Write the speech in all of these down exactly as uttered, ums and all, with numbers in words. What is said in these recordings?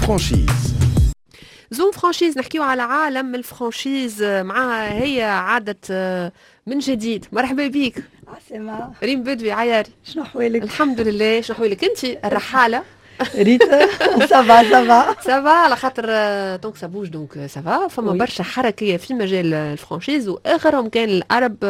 franchise. Zoom franchise، نحكيو على عالم ال franchise معها هي عادت آه، من جديد. مرحبا بك. عسلامة. ريم بدوي عياري. شنو احوالك؟ الحمد لله، شنو احوالك انت الرحاله؟ ريت، ça va ça va. ça va على خاطر donc ça bouge، donc ça va. فما oui. برشا حركية في مجال ال franchise، واخرهم كان ال Arab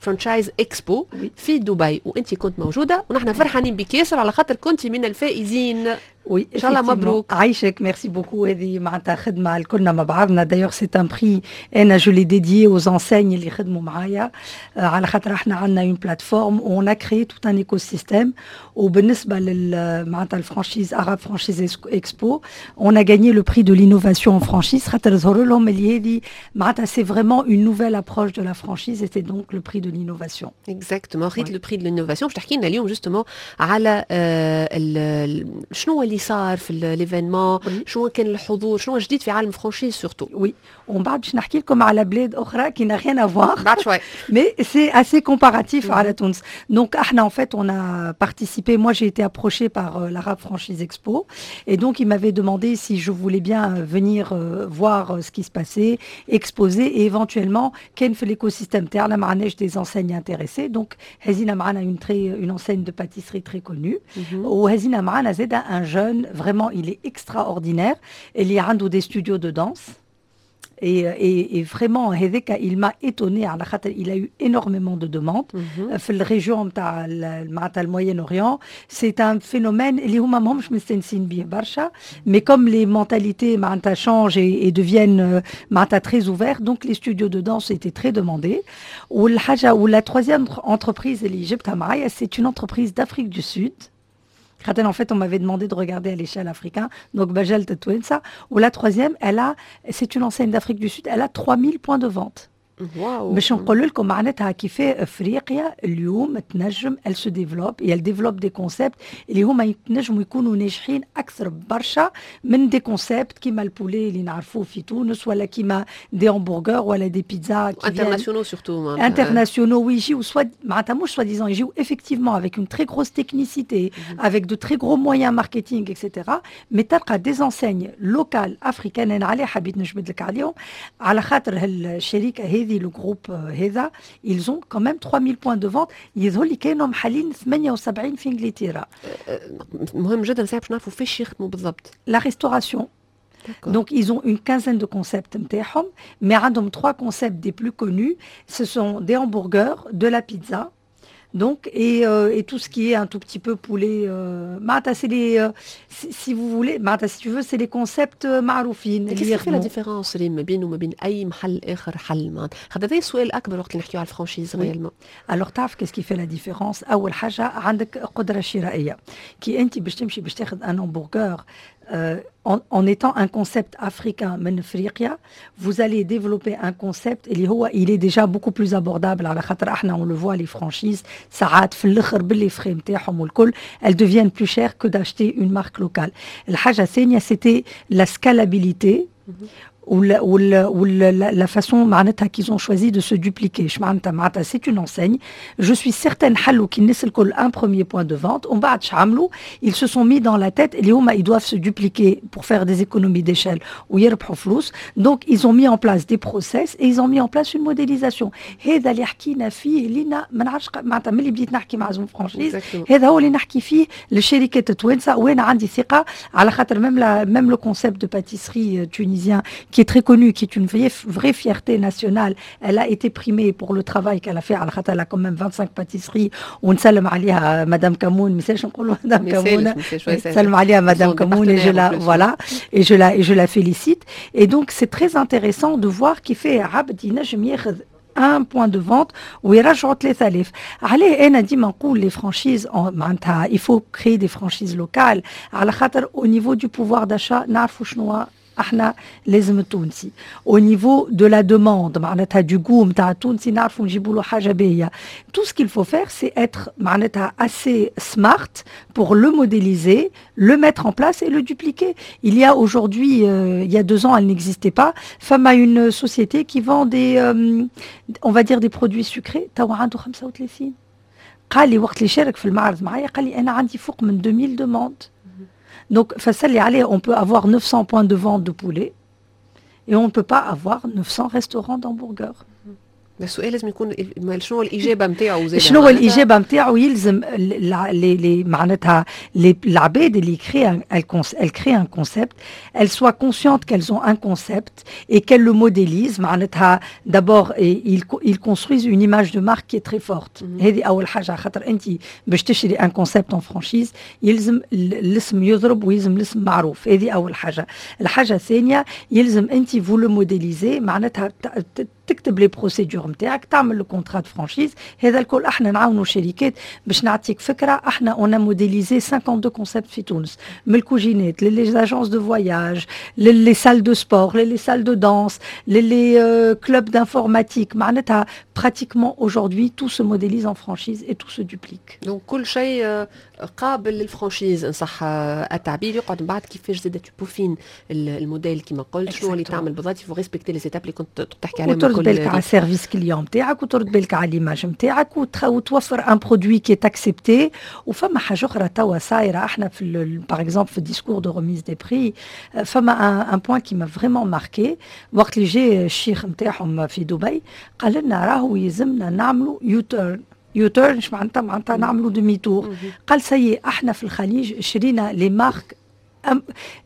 Franchise Expo oui. في دبي، وانت كنت موجوده، ونحن فرحانين بك ياسر على خاطر كنت من الفائزين. oui. إن شاء الله مبروك. عايشك، merci beaucoup. هذه معناتها خدمة الكلنا مع بعضنا. d'ailleurs c'est un prix انا je l'ai dédié aux enseignes اللي خدموا معايا، آه، على خاطر احنا عندنا une plateforme، on a créé tout un écosystème. وبالنسبة لل معناتها ال franchise، Arab Franchise Expo، on a gagné le prix de l'innovation en franchise، خاطر ظهر لهم اللي هذه معناتها c'est vraiment une nouvelle approche de la franchise et c'est donc le prix de l'innovation. exactement، خذيت oui. le prix de l'innovation. باش تحكي لنا اليوم justement على آه، ال- ال- شنو اللي صار في l'événement، oui. شنو كان الحضور، شنو جديد في عالم franchise surtout. oui، ومن بعد باش نحكي لكم على بلاد اخرى qui n'a rien à voir، بعد شوي. mais c'est assez comparatif Mhm. على تونس. Donc, احنا, en fait, on a participé. Moi, j'ai été approchée par euh, l'Arab Franchise Expo. Et donc, ils m'avaient demandé si je voulais bien euh, venir euh, voir euh, ce qui se passait, exposer et éventuellement, كان في l'écosystème تاعنا ما عندناش des enseignes intéressées. Donc, هزينا معنا une, très, une enseigne de pâtisserie très connue. وهزينا معنا زادة un jeune, vraiment, il est extraordinaire. اللي عنده des studios de danse. Et, et, et vraiment, هذاك il m'a étonné على خاطر il a eu énormément de demandes في ال région نتاع معناتها ال Moyen-Orient. c'est un phénomène اللي هما ماهمش مستانسين به برشا، mais comme les mentalités معناتها changent et, et deviennent معناتها très ouvertes، donc les studios de danse étaient très demandés. والحاجة و la troisième entreprise اللي جبتها معايا، c'est une entreprise d'Afrique du Sud، خاطر en fait on m'avait demandé de regarder à l'échelle africaine، donc بجلت التوانسة. و la troisième، elle a c'est une enseigne d'Afrique du Sud، elle a trois mille points de vente. واو. باش نقول لكم معناتها كيف افريقيا اليوم تنجم elle se développe et elle développe des concepts اللي هما ينجموا يكونوا ناجحين اكثر برشا من des concepts كيما ال poulet اللي نعرفوه في تونس، ولا كيما des hamburgers، ولا des pizzas. internationaux surtout. internationaux، ويجيو soit معناتها مش soi-disant، يجيو effectivement avec une très grosse technicité، avec de très gros moyens marketing et cetera، mais تلقى des enseignes locales africaines. انا عليه حبيت نجبد لك عليهم، على خاطر الشركة هذه، le groupe هذا، ils ont quand même trois mille points de vente. يظهر لي كانوا محلين ثمانية وسبعين في انجلترا. مهم جدا ساعة باش نعرفوا فيش يخدموا بالضبط. la restauration. Donc, ils ont une quinzaine de concepts نتاعهم، mais عندهم trois concepts des plus connus. Ce sont des hamburgers, de la pizza, donc, et, euh, et tout ce qui est un tout petit peu poulet. Euh, معناتها c'est les, euh, si, si vous voulez، معناتها si tu veux، c'est les concepts معروفين. Qu'est-ce qui fait la différence ما بينه وما بين أي محل آخر حل؟ معناتها خاطر هذا السؤال الأكبر وقت اللي نحكيو على ال franchise réellement. Alors تعرف qu'est-ce qui fait la différence؟ أول حاجة عندك قدرة شرائية. كي أنت باش تمشي باش تاخذ un hamburger euh, en, en étant un concept africain من افريقيا، vous allez développer un concept اللي هو il est déjà beaucoup plus abordable، على خاطر احنا on le voit، les franchises ساعات في الاخر ب les frais نتاعهم والكل elles deviennent plus chères que d'acheter une marque locale. الحاجة الثانية c'était la scalabilité ولا ولا ولا la façon معناتها qu'ils ont choisi de se dupliquer. معناتها معناتها c'est une enseigne، je suis certaine، حلوا كي الناس الكل un premier point de vente، ومن بعد عملوا؟ ils se sont mis dans la tête اللي هما ils doivent se dupliquer pour faire des économies d'échelle ويربحوا فلوس. donc ils ont mis en place des process et ils ont mis en place une modélisation. هذا اللي حكينا فيه لينا ما نعرفش، معناتها ملي بديت نحكي مع Zoom Franchise، هذا هو اللي نحكي فيه للشركات التوانسه. وانا عندي ثقة على خاطر même même le concept de pâtisserie tunisien qui est très connue، qui est une vraie, vraie fierté nationale. Elle a été primée pour le travail qu'elle a fait. على خاطر elle a quand même vingt-cinq pâtisseries. ونسلم عليها مدام كمون، ما يسالش نقولوا مدام كمون؟ نسلم عليها مدام كمون et je la voilà et je la et je la félicite. Et donc c'est très intéressant de voir كيف عبد ينجم ياخذ un point de vente ويرجعوا ثلاثة آلاف. عليه انا ديما نقول les franchises، معناتها il faut créer des franchises locales، على خاطر au niveau du pouvoir d'achat نعرفوا شنو احنا لازم التونسي، au niveau de la demande معناتها du goût نتاع التونسي نعرفوا نجيبوا له حاجة باهيه. tout ce qu'il faut faire، c'est être معناتها assez smart pour le modéliser، le mettre en place et le dupliquer. il y a aujourd'hui، euh, il y a deux ans elle n'existait pas، فما une société qui vend des euh, on va dire des produits sucrés، توا عنده خمسة وثلاثين. قال لي وقت اللي شارك في المعرض معايا، قال لي انا عندي فوق من deux mille demandes. Donc فسر لي عليه on peut avoir neuf cents points de vente de poulet et on ne peut pas avoir neuf cents restaurants d'hamburgers. السؤال لازم يكون شنو الاجابة نتاعو؟ زاد شنو الاجابة نتاعو؟ يلزم les معناتها العباد اللي créent, elles créent un concept, elles soient conscientes qu'elles ont un concept et qu'elles le modélisent. معناتها d'abord ils, ils construisent une image de marque qui est très forte. هذه اول حاجه، خاطر انت باش تشري un concept en franchise يلزم الاسم يضرب ويلزم الاسم معروف. هذه اول حاجه. الحاجة الثانيه، يلزم انت vous le modélisez، معناتها تكتب les procédures نتاعك، تعمل le contrat de franchise. هذا الكل احنا نعاونوا شركات. باش نعطيك فكره، احنا on a modélisé cinquante-deux concepts في تونس، من الكوجينات les agences de voyage, les salles de sport, les salles de danse, les clubs d'informatique. معناتها pratiquement aujourd'hui tout se modélise en franchise et tout se duplique. donc كل شيء قابل لل franchise ان صح التعبير. يقعد من بعد كيفاش زاد tu peaufines ال modèle كيما قلت، شنو اللي تعمل بالضبط، faut respecter les étapes اللي كنت تحكي عليهم. وترد بالك على ال service client نتاعك، وترد بالك على l'image نتاعك، وتوفر un produit qui est accepté. وفما حاجة اخرى توا صايره، احنا في par exemple في ال discours de remise des prix فما un point qui m'a vraiment marqué. وقت اللي جاي الشيخ نتاعهم في دبي قال لنا راهو يلزمنا نعملوا U-turn. U-turn اش معناتها؟ معناتها نعملوا demi-tour. قال ça y est، احنا في الخليج شرينا les marques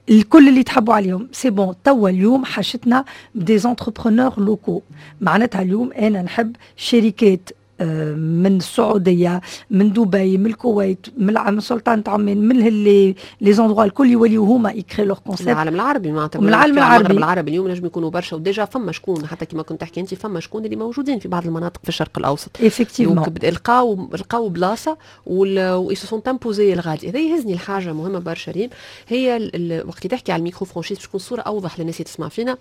الكل اللي تحبوا عليهم، c'est bon. توا اليوم حاجتنا des entrepreneurs locaux. معناتها اليوم انا نحب شركات آه، من السعوديه، من دبي، من الكويت، من سلطنة عمان، من les les endroits الكل يوليو هما ي créent leur concept. العالم العربي معناتها. من العالم العربي. المغرب العربي اليوم نجم يكونوا برشا، و déjà فما شكون، حتى كما كنت تحكي انت، فما شكون اللي موجودين في بعض المناطق في الشرق الاوسط. effectivement. لقاو لقاو بلاصة و ils se sont imposés الغادي. هذا يهزني الحاجة مهمة برشا ريم، هي وقت تحكي على ال micro franchise، باش تكون صوره اوضح للناس اللي تسمع فينا،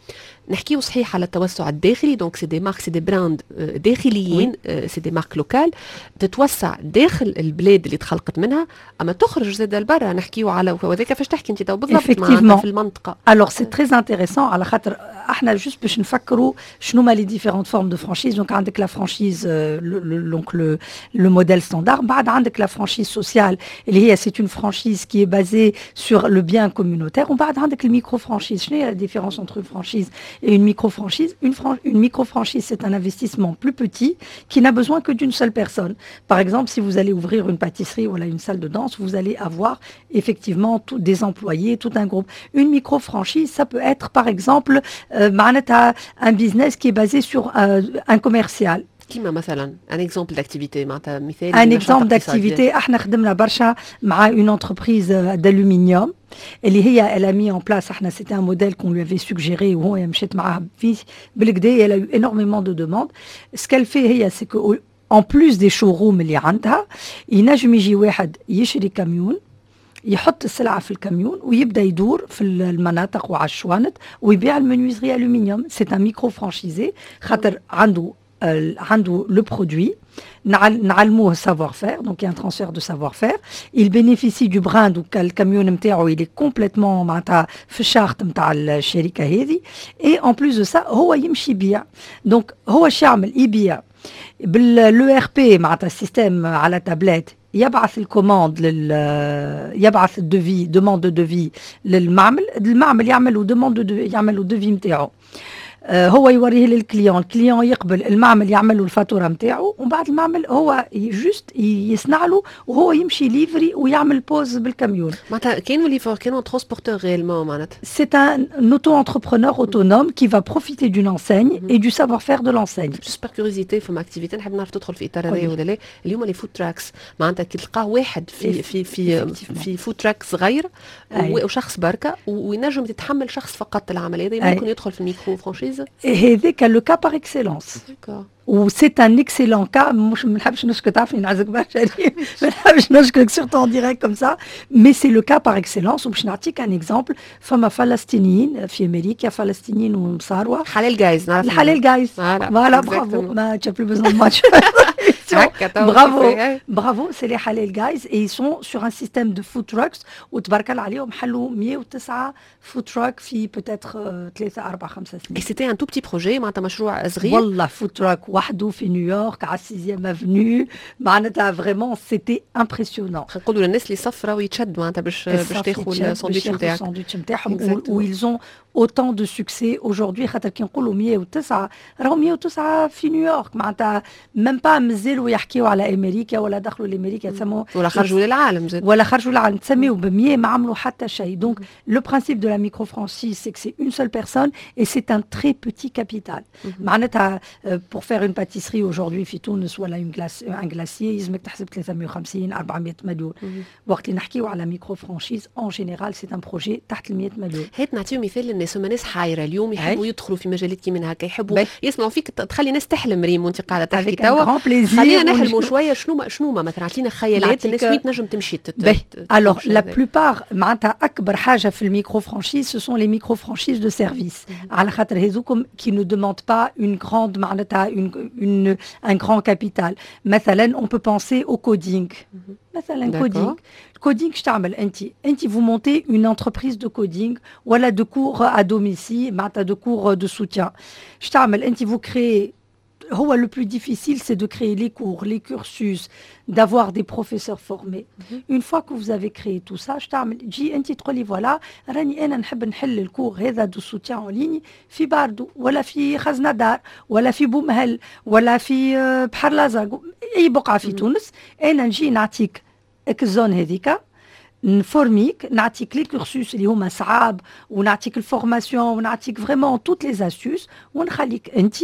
نحكيو صحيح على التوسع الداخلي، donc c'est des marques, c'est des brands داخليين، c'est des marques locales تتوسع داخل البلاد اللي تخلقت منها، اما تخرج زاد لبرا. نحكيو على وهذاك فاش تحكي انت تو بالضبط في المنطقه. alors c'est très intéressant، على خاطر احنا juste باش نفكروا شنو ما les différentes formes de franchise. donc عندك la franchise, donc le le modèle standard. بعد عندك la franchise sociale اللي هي c'est une franchise qui est basée sur le bien communautaire. ومن بعد عندك ال micro franchise. شنو هي la différence entre une franchise et une micro franchise؟ une, une micro franchise, c'est un investissement plus petit qui n'a besoin que d'une seule personne. Par exemple, si vous allez ouvrir une pâtisserie ou une salle de danse, vous allez avoir effectivement tout, des employés, tout un groupe. Une micro-franchise, ça peut être par exemple euh, معناتها un business qui est basé sur euh, un commercial. كيما مثلا un exemple d'activité، معناتها مثال. un exemple d'activité، احنا خدمنا برشا مع une entreprise d'aluminium اللي هي elle a mis en place، احنا c'était un modèle qu'on lui avait suggéré وهو مشيت معاها فيه بالكدا، elle a eu énormément de demandes. ce qu'elle fait هي c'est que en plus des showrooms اللي عندها، ينجم يجي واحد يشري كاميون، يحط السلعة في الكاميون ويبدا يدور في المناطق وعلى الشوانط ويبيع ال menuiserie aluminium. c'est un micro franchisé خاطر عنده عنده le produit، نعلموه savoir-faire, donc il y a un transfert de savoir-faire. Il bénéficie du brand, donc ال camion نتاعو il est complètement معناتها في ال charte نتاع الشركة هذه. et en plus de ça هو يمشي يبيع. donc هو اش يعمل؟ يبيع بال E R P، معناتها ال système على تابلت، يبعث ال commande لل يبعث ال devis, demande de devis للمعمل، المعمل يعمل demande يعمل devis نتاعو، آه، هو يوريه لل client، ال client يقبل، المعمل يعمل له الفاتورة نتاعو، ومن بعد المعمل هو juste يصنع له وهو يمشي livrer ويعمل pause بال camion. معناتها كانوا livreur، كانوا transporteur réellement معناتها. C'est un auto-entrepreneur autonome qui va profiter d'une enseigne et du savoir-faire de l'enseigne. juste par curiosité، فما activité نحب نعرف تدخل في اطار هذايا ولا لا. اليوم les food trucks، معناتها كي تلقاه واحد في في في في food truck صغير وشخص بركة وينجم يتحمل شخص فقط العمل هذا، ممكن يدخل في ال micro franchise؟ هذاك le cas par excellence و c'est un excellent cas. مش ما نحبش نشكر، تعرفني نعزك برشا، ما نحبش نشكرك surtout en direct comme ça, mais c'est le cas par excellence. وباش نعطيك un exemple، فما فلسطينيين في امريكا، فلسطينيين ومصاروة. حلال Guys. نعرف الحلال Guys، voilà, bravo, ما tu as plus besoin de moi. bravo bravo, c'est les Halal Guys et ils sont sur un système de food trucks وتبارك الله عليهم، حلوا مية وتسعة food truck في peut-être ثلاثة أربعة خمسة سنين. et c'était un tout petit projet، معناتها مشروع صغير. والله food truck وحده في نيويورك على sixième avenue. معناتها vraiment c'était impressionnant. نقولوا للناس اللي صف راهو يتشد معناتها باش باش تاخذ الساندويتش نتاعك. الساندويتش نتاعهم و ils ont autant de succès aujourd'hui، خاطر كي نقولوا مية وتسعة راهو مية وتسعة في نيويورك، معناتها même pas مازالوا يحكيوا على امريكا ولا دخلوا لامريكا، تسموا ولا خرجوا للعالم زاد. ولا خرجوا للعالم، تسميوا ب مية ما عملوا حتى شيء. donc le principe de la micro franchise، c'est que c'est une seule personne et c'est un très petit capital. معناتها pour faire une pâtisserie aujourd'hui في تونس ولا une glace un glacier يلزمك تحسب ثلاثمية وخمسين أربعمية مليون. وقت اللي نحكيو على micro franchise، en général c'est un projet تحت ال مية مليون. هات نعطيو مثال للناس، هما ناس حايره اليوم، يحبوا يدخلوا في مجالات كيما هكا، يحبوا يسمعوا فيك، تخلي ناس تحلم ريم وانت قاعدة تحكي توا. خلينا نحلموا شويه، شنو ما شنو ما مثلا اعطينا خيالات الناس وين تنجم تمشي. alors la plupart، معناتها اكبر حاجة في ال micro franchise، ce sont les micro franchises de service، على خاطر هذوكم qui ne demandent pas une grande معناتها une une un grand capital. مثلا on peut penser au coding. مثلا coding، coding اش تعمل انت؟ انت vous montez une entreprise de coding ولا de cours à domicile، معناتها de cours de soutien. اش تعمل انت؟ vous créez، هو le plus difficile، c'est de créer les cours، les cursus، d'avoir des professeurs formés. Mm -hmm. Une fois que vous avez créé tout ça، تجي انت تقولي voilà، راني انا نحب نحل ال cours هذا de soutien en ligne في باردو ولا في خزنة دار ولا في بومهل ولا في بحر الازرق، اي بقعة في تونس. انا نجي نعطيك ال zone هذيك، نفورميك، نعطيك les cursus اللي هما صعاب ونعطيك ال formation ونعطيك vraiment toutes les astuces، ونخليك انت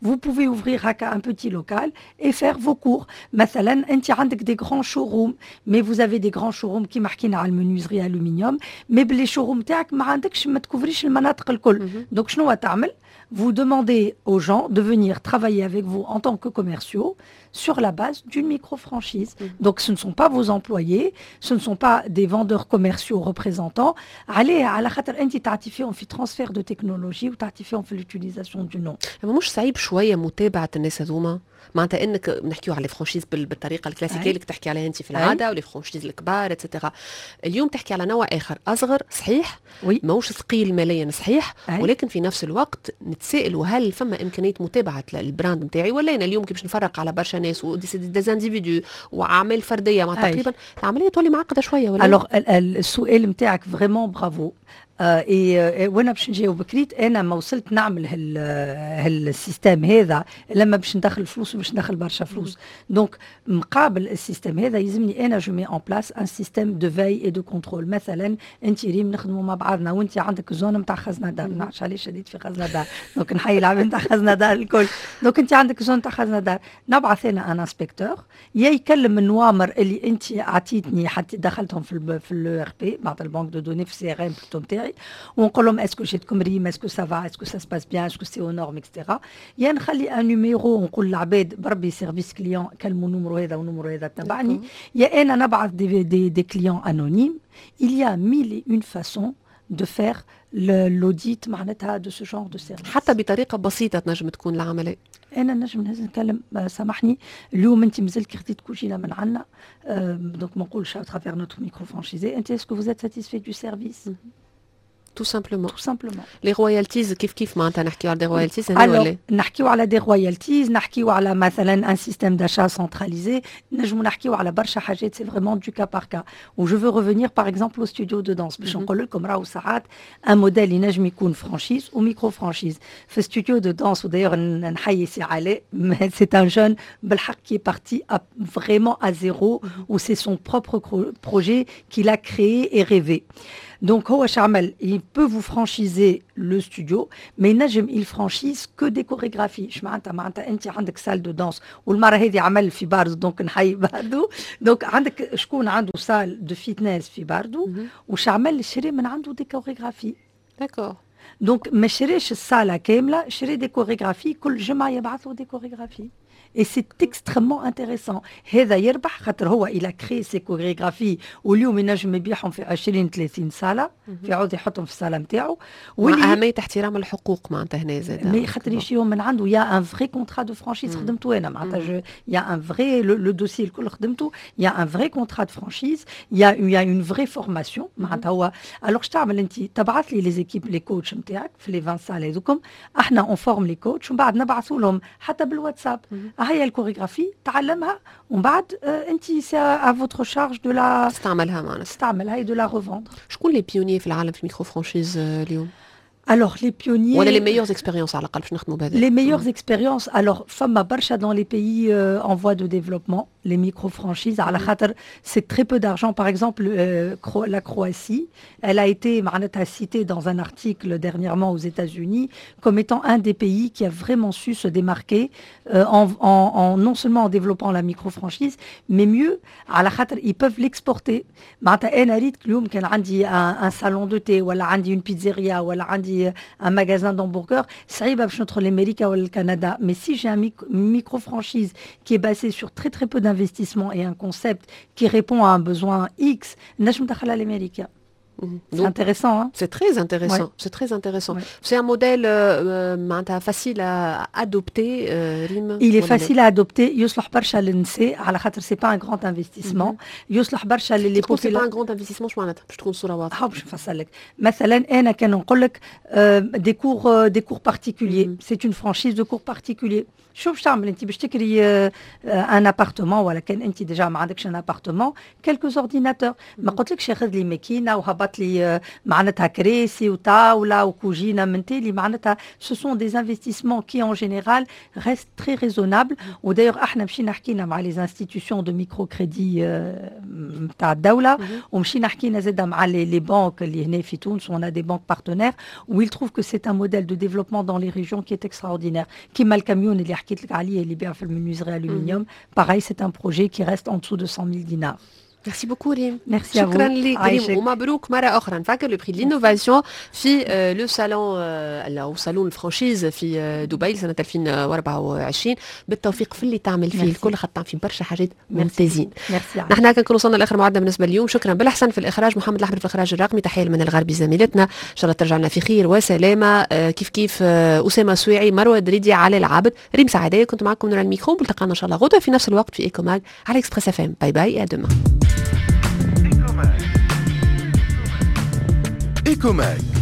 vous pouvez ouvrir هكا un petit local et faire vos cours. مثلا انت عندك des grands showrooms، mais vous avez des grands showrooms كيما حكينا على ال menuiserie aluminium، mais ب les showrooms تاعك ما عندكش، ما تكوفريش المناطق الكل. donc شنو تعمل؟ vous demandez aux gens de venir travailler avec vous en tant que commerciaux sur la base d'une micro-franchise. Mmh. Donc ce ne sont pas vos employés، ce ne sont pas des vendeurs commerciaux représentants. علاه؟ على خاطر انت تعطي فيهم في transfert de technologie وتعطي فيهم في l'utilisation du nom. مش صعيب شوية متابعه الناس هذوما؟ معناتها انك نحكيو على franchises بالطريقة الكلاسيكية اللي تحكي عليها انت في العاده، و les franchises الكبار et cetera. اليوم تحكي على نوع اخر اصغر، صحيح؟ oui. ماهوش ثقيل ماليا، صحيح. أي. ولكن في نفس الوقت نتسائلوا هل فما امكانية متابعه ال brand نتاعي ولا انا اليوم كي باش نفرق على برشا ناس و des individus واعمال فرديه، مع تقريبا العملية تولي معقدة شوية ولا؟ alors السؤال نتاعك vraiment bravo، آه إيه، وانا باش نجاوبك. ريت، انا ما وصلت نعمل هال هال système هذا لما باش ندخل فلوس، وباش ندخل برشا فلوس. donc مقابل ال système هذا يلزمني انا je mets en place un système de veille et de contrôle. مثلا انت ريم نخدموا مع بعضنا وانت عندك zone نتاع خزنه دار، ما نعرفش علاش شديت في خزنه دار، donc نحيي العباد نتاع خزنه دار الكل. donc انت عندك zone نتاع خزنه دار، نبعث انا un inspecteur يا يكلم النوامر اللي انت عطيتني حتى دخلتهم في ال في ال ERP، معناتها ال banque de données، في CRM plutôt نتاعي، ونقول لهم est-ce que جاتكم ريم؟ est-ce que ça va؟ est-ce que ça se passe bien؟ est-ce que c'est aux normes؟ et cetera. يا نخلي un numéro ونقول للعباد بربي service client كلموا numéro هذا و numéro هذا تبعني، يا انا نبعث des des des clients anonymes. il y a mille et une façons de faire l'audit معناتها de ce genre de service. حتى بطريقة بسيطة تنجم تكون العمليه. انا نجم نهز نتكلم، سامحني، اليوم انت مازلت كي خديت كوجينه من عندنا، donc ما نقولش à travers notre micro franchisé، انت est-ce que vous êtes satisfait du service؟ tout simplement. tout simplement. les royalties كيف كيف، معناتها نحكيو على des royalties هنا ولا؟ نحكيو على des royalties، نحكيو على مثلا un système d'achat centralisé، نجمو نحكيو على برشا حاجات، c'est vraiment du cas par cas. و je veux revenir par exemple au studio de danse، باش نقول لكم راهو ساعات un modèle ينجم يكون franchise و micro franchise. في studio de danse، و d'ailleurs نحيي سي علاء، c'est un jeune بالحق qui est parti vraiment à zéro، و c'est son propre projet qu'il a créé et rêvé. Donc, هو شعمل؟ il peut vous franchiser le studio، mais نجم il franchise que des chorégraphies. اش معناتها؟ معناتها انت عندك salle de danse، والمرة هذه عمل في باردو، donc نحيي باردو. donc عندك شكون عنده salle de fitness في باردو، وش عمل؟ شري من عنده des chorégraphies. d'accord donc ما شريش الصاله كامله، شري des chorégraphies، كل جمعه يبعث له des chorégraphies. et c'est extrêmement intéressant. هذا يربح خاطر هو il a créé ses chorégraphies واليوم ينجم يبيعهم في عشرين ثلاثين صاله في عوض يحطهم في الصاله نتاعو. واللي اهمية احترام الحقوق معناتها هنا زاد mais خاطر يشريهم من عنده، il y a un vrai contrat de franchise خدمته انا، معناتها il y a un vrai le dossier الكل خدمته، il y a un vrai contrat de franchise، il y a il y a une vraie formation. معناتها هو alors اش تعمل انت؟ تبعث لي les équipes، les coachs نتاعك في les vingt salles هذوكم، احنا on forme les coachs ومن بعد نبعثوا لهم حتى بالواتساب هيا الكوريغرافي تعلمها، ومن بعد انت c'est à votre charge de la تستعملها معنا تستعملها de la revendre. شكون les pionniers في العالم في micro-franchise اليوم؟ Alors, les pionniers. ولا les meilleures expériences على الأقل باش نخدموا بهذا. Les meilleures expériences, alors, فما برشا dans les pays euh, en voie de développement, les micro-franchises, على خاطر c'est très peu d'argent. Par exemple, euh, la Croatie, elle a été معناتها citée dans un article dernièrement aux États-Unis comme étant un des pays qui a vraiment su se démarquer euh, en, en, en, non seulement en développant la micro-franchise, mais mieux, على خاطر ils peuvent l'exporter. معناتها أنا ريت اليوم كان عندي un, un salon de thé ولا عندي une pizzeria ولا عندي un magasin d'hamburgers، صعيبة باش ندخل لأمريكا ولا الكندا. Mais si j'ai un micro-franchise qui est basé sur très très peu d'investissement et un concept qui répond à un besoin X، نجم ندخلها لأمريكا. C'est intéressant. Hein. C'est très intéressant. Ouais. C'est très intéressant. Ouais. C'est un modèle euh, facile à adopter, euh, Rim. Il est facile à adopter. يصلح برشا للنساء على خاطر c'est pas un grand investissement. يصلح برشا لل les c'est pas un grand investissement شو معناتها؟ باش تكون الصورة واضحة. باش نفسر لك. مثلا أنا كان نقول لك des cours des cours particuliers. C'est une franchise de cours particuliers. شوف باش تعمل انت، باش تكري un appartement ولا كان انت déjà ما عندكش un appartement، quelques ordinateurs. ما قلتلكش خذ لي ماكينة وهبط لي معناتها كراسي وطاوله وكوجينه من تالي. معناتها ce sont des investissements qui en général restent très raisonnables. و d'ailleurs احنا مشينا حكينا مع les institutions de microcrédit نتاع الدوله، ومشينا حكينا زاده مع les les banques اللي هنا في تونس، on a des banques partenaires où ils trouvent que c'est un modèle de développement dans les régions qui est extraordinaire. كيما الكاميون اللي حكيت لك عليه اللي يبيع في ال menuiserie aluminium، pareil، c'est un projet qui reste en dessous de cent mille dinars. Merci beaucoup ريم. ميرسي. شكرا لك ريم ومبروك مرة اخرى. نفكر le prix l'innovation في le salon او salon ال franchise في دبي سنة ألفين وأربعة وعشرين. بالتوفيق في اللي تعمل فيه الكل، خاطر تعمل في برشا حاجات ممتازين. ميرسي. نحن كنكون وصلنا لاخر موعدنا بالنسبة اليوم. شكرا بالحسن في الاخراج، محمد الاحمر في الاخراج الرقمي، تحية من الغربي زميلتنا، ان شاء الله ترجع لنا في خير وسلامه. كيف كيف اسامة سويعي، مروه دريدي، علي العابد، ريم سعديه كنت معكم من الميكرو. ملتقانا ان شاء الله غدوه في نفس الوقت في Eco Mag على Express FM. Bye bye، à demain. Ecomag.